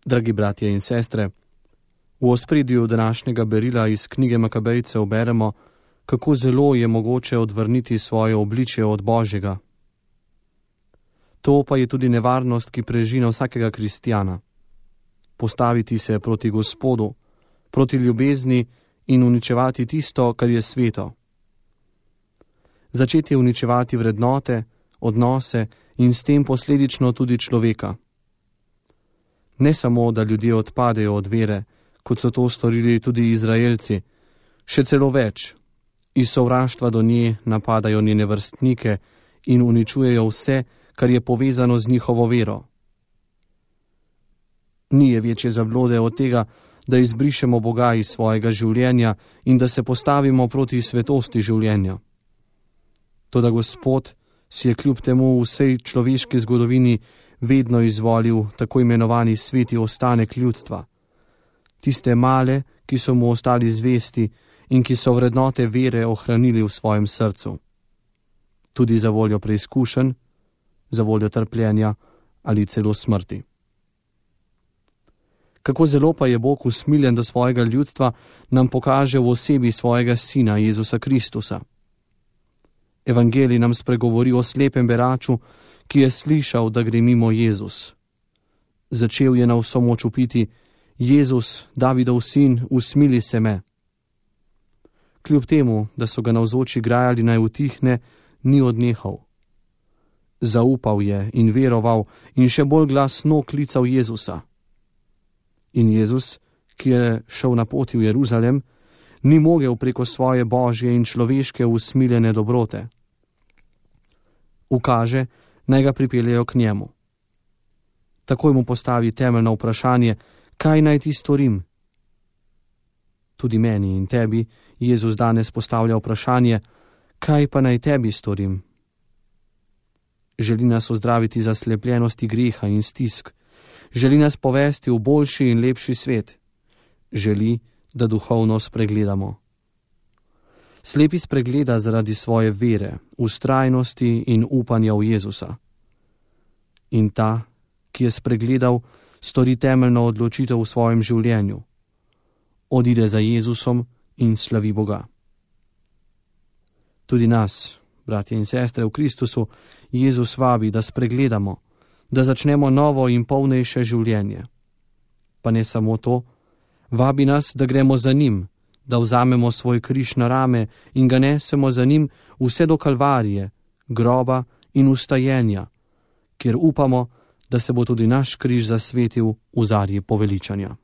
Dragi bratje in sestre, v ospredju današnjega berila iz knjige Makabejcev beremo, kako zelo je mogoče odvrniti svoje obličje od Božjega. To pa je tudi nevarnost, ki prežina vsakega kristjana. Postaviti se proti Gospodu, proti ljubezni in uničevati tisto, kar je sveto. Začeti uničevati vrednote, odnose in s tem posledično tudi človeka. Ne samo, da ljudje odpadejo od vere, kot so to storili tudi Izraelci, še celo več. Iz sovraštva do nje napadajo njene vrstnike in uničujejo vse, kar je povezano z njihovo vero. Ni je večje zablode od tega, da izbrišemo Boga iz svojega življenja in da se postavimo proti svetosti življenja. Toda Gospod si je kljub temu v vsej človeški zgodovini vedno izvolil tako imenovani sveti ostanek ljudstva. Tiste male, ki so mu ostali zvesti in ki so vrednote vere ohranili v svojem srcu. Tudi za voljo preizkušenj, za voljo trpljenja ali celo smrti. Kako zelo pa je Bog usmiljen do svojega ljudstva, nam pokaže v osebi svojega Sina Jezusa Kristusa. Evangelij nam spregovori o slepem beraču, ki je slišal, da gre mimo Jezus. Začel je na vso moč vpiti: Jezus, Davidov sin, usmili se me. Kljub temu, da so ga navzoči grajali naj utihne, ni odnehal. Zaupal je in veroval in še bolj glasno klical Jezusa. In Jezus, ki je šel na poti v Jeruzalem, ni mogel preko svoje božje in človeške usmiljene dobrote. Ukaže, naj ga pripeljejo k njemu. Takoj mu postavi temeljno vprašanje: kaj naj ti storim? Tudi meni in tebi Jezus danes postavlja vprašanje: kaj pa naj tebi storim? Želi nas ozdraviti zaslepljenosti greha in stisk. Želi nas povesti v boljši in lepši svet. Želi, da duhovno spregledamo. Slepi spregleda zaradi svoje vere, vztrajnosti in upanja v Jezusa. In ta, ki je spregledal, stori temeljno odločitev v svojem življenju. Odide za Jezusom in slavi Boga. Tudi nas, bratje in sestre v Kristusu, Jezus vabi, da spregledamo, da začnemo novo in polnejše življenje. Pa ne samo to, vabi nas, da gremo za njim, da vzamemo svoj križ na rame in ga nesemo za njim vse do Kalvarije, groba in vstajenja, kjer upamo, da se bo tudi naš križ zasvetil v zarji poveličanja.